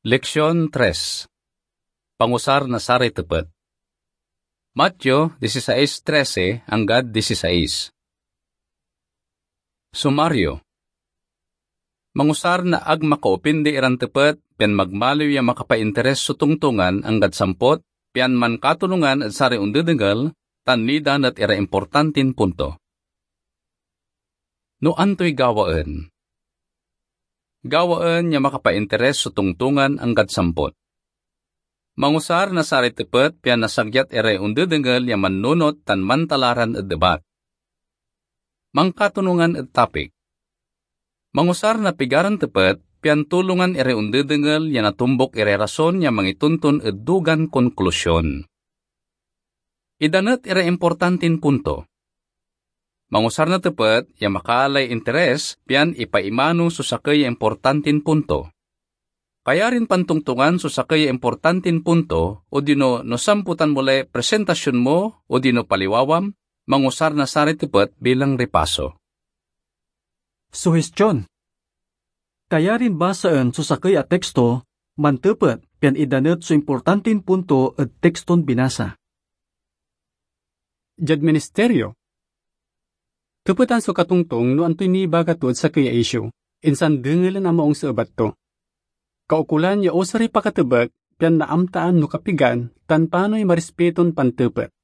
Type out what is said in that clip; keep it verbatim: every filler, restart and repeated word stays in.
Leksyon tres. Pangusar na saray tepet. Mateo dieciséis trece anggad dieciséis. Sumario. Mangusar na ag makaopindi iran tepet, pian magmaliw ya makapainteres so tongtongan anggad sampot, pian mankatulongan ed saray ondedengel tan nidan et iray importantin punto. No antoy gawaen? Gawaen ya makapainteres so tongtongan anggad sampot. Mangusar na saray tepet pian nasagyat iray ondedengel ya mannunot tan mantalaran ed ebat. Mankatulongan ed topic. Mangusar na pigaran tepet pian tulongan iray ondedengel ya natombok iray rason ya mangitonton ed dugan konklusion. Idanet iray importantin punto. Mangusar na tepet ya makaalay interes pian ipaimano so sakey ya importantin punto. Kayarin pantongtongan so sakey ya importantin punto, odino no samputan mo lay presentasion mo odino paliwawam, mangusar na saray tepet bilang ripaso. Suhestiyon. Kayarin basaen so sakey a teksto, mantepet, pian idanet so importantin punto ed tekston binasa. Diad ministerio, tepetan so katongtong no antoy nibaga to ed sakey a isyu, insan dengelen a maong so ebat to. Kaukolan ya osaray pakatebek pian naamtaan no kapigan tan panoy marispeton pantepet.